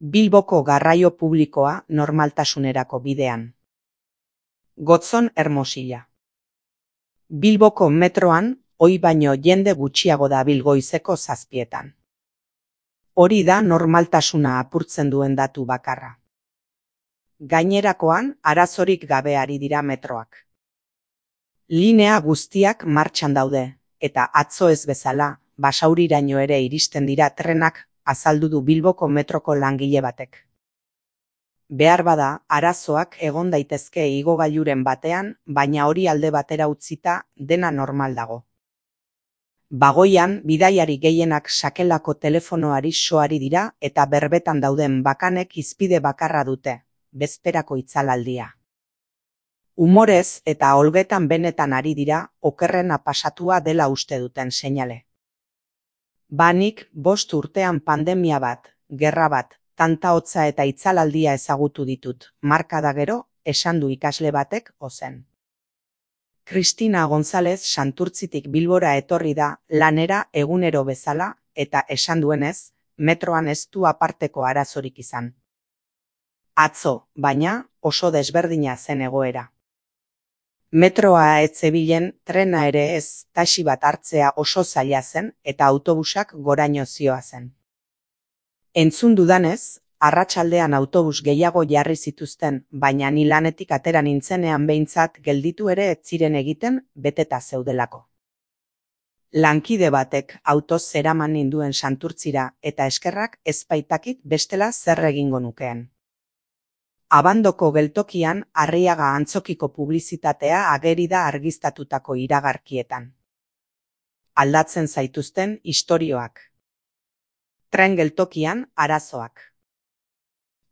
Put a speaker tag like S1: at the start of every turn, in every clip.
S1: Bilboko garraio publikoa normaltasunerako bidean. Gotzon Hermosilla. Bilboko metroan ohi baino jende gutxiago dabil goizeko 7:00. Hori da normaltasuna apurtzen duen datu bakarra. Gainerakoan arazorik gabe ari dira metroak. Linea guztiak martxan daude, eta atzo ez bezala, Basauriraino ere iristen dira trenak, azaldu du Bilboko metroko langile batek. Behar bada, arazoak egon daitezke igogailuren batean, baina hori alde batera utzita dena normal dago. Bagoian, bidaiari gehienak sakelako telefonoari soari dira eta berbetan dauden bakanek hizpide bakarra dute, bezperako itzalaldia. Umorez eta olgetan benetan ari dira, okerrena pasatua dela uste duten seinale. Banik 5 urtean pandemia bat, gerra bat, tanta hotza eta itzalaldia ezagutu ditut, markada gero, esan du ikasle batek ozen. Cristina González Santurtzitik Bilbora etorri da lanera egunero bezala eta esan duenez, metroan ez du aparteko arazorik izan. Atzo, baina, oso desberdina zen egoera. Metroa ez zebilen, trena ere ez, taxi bat hartzea oso zaila zen eta autobusak goraino zihoazen. Entzun dudanez, arratsaldean autobus gehiago jarri zituzten, baina ni lanetik atera nintzenean behintzat gelditu ere ez ziren egiten beteta zeudelako. Lankide batek autoz zeraman ninduen Santurtzira eta eskerrak ez baitakit bestela zer egingo nukeen. Abandoko geltokian Arriaga antzokiko publizitatea ageri da argiztatutako iragarkietan. Aldatzen zaituzten istorioak. Tren geltokian arazoak.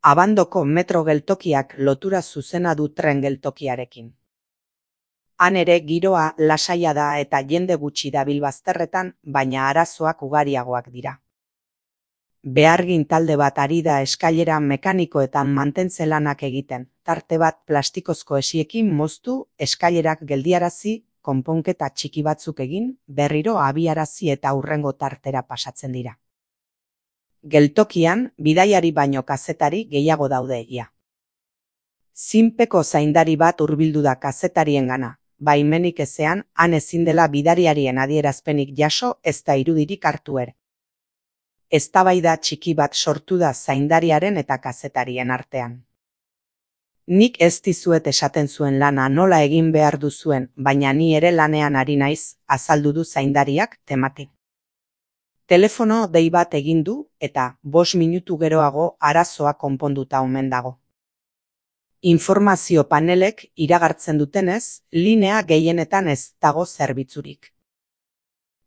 S1: Abandoko metro geltokiak lotura zuzena du tren geltokiarekin. Han ere giroa lasaia da eta jende gutxi dabil bazterretan, baina arazoak ugariagoak dira. Behargin talde bat ari da eskailera mekanikoetan mantentze lanak egiten, tarte bat plastikozko esiekin moztu, eskailerak geldiarazi, konponketa txiki batzuk egin, berriro abiarazi eta hurrengo tartera pasatzen dira. Geltokian, bidaiari baino kazetari gehiago daude ia. Zinpeko zaindari bat hurbildu da kazetariengana, baimenik ezean, han ezin dela bidariarien adierazpenik jaso ez da irudirik hartu ere. Eztabaida txiki bat sortu da zaindariaren eta kazetarien artean. Nik ez dizuet esaten zuen lana nola egin behar duzuen, baina ni ere lanean ari naiz, azaldu du zaindariak temati. Telefono dei bat egin du eta 5 minutu geroago arazoa konponduta omen dago. Informazio panelek iragartzen dutenez, linea gehienetan ez dago zerbitzurik.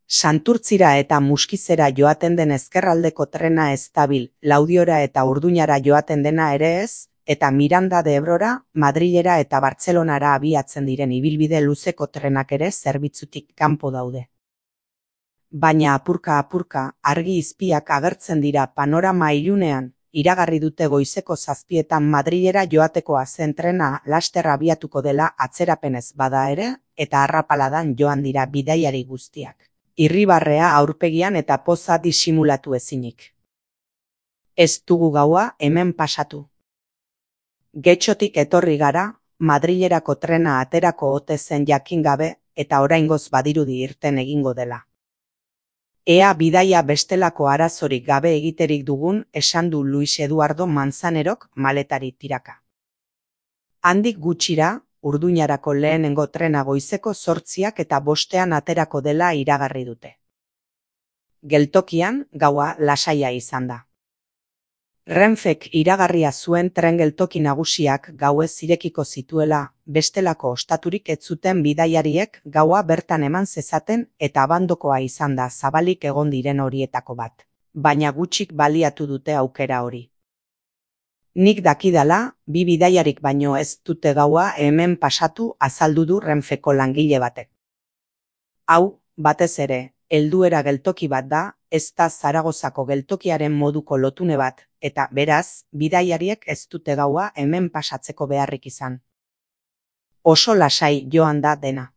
S1: Santurtzira eta Muskizera joaten den ezkerraldeko trena ez dabil, Laudiora eta Urduñara joaten dena ere ez, eta Miranda de Ebrora, Madrilera eta Bartzelonara abiatzen diren ibilbide luzeko trenak ere zerbitzutik kanpo daude. Baina apurka, argi izpiak agertzen dira panorama ilunean, iragarri dute goizeko 7:00 Madrilera joatekoa zen trena laster abiatuko dela atzerapenez bada ere, eta arrapaladan joan dira bidaiari guztiak. Irribarrea aurpegian eta poza disimulatu ezinik. Ez dugu gaua hemen pasatu. Getxotik etorri gara, Madrilerako trena aterako ote zen jakin gabe eta oraingoz badirudi irten egingo dela. Ea bidaia bestelako arazorik gabe egiterik dugun, esan du Luis Eduardo Manzanerok maletari tiraka. Handik gutxira, Urduñarako lehenengo trena goizeko 8:05 aterako dela iragarri dute. Geltokian, gaua lasaia izan da. Renfek iragarria zuen tren geltoki nagusiak gauez irekiko zituela, bestelako ostaturik ez zuten bidaiariek gaua bertan eman zezaten eta abandokoa izan da zabalik egon diren horietako bat. Baina gutxik baliatu dute aukera hori. Nik dakidala, 2 bidaiarik baino ez dute gaua hemen pasatu azaldu du Renfeko langile batek. Hau, batez ere, helduera geltoki bat da, ez da Zaragozako geltokiaren moduko lotune bat, eta beraz, bidaiariek ez dute gaua hemen pasatzeko beharrik izan. Oso lasai joan da dena.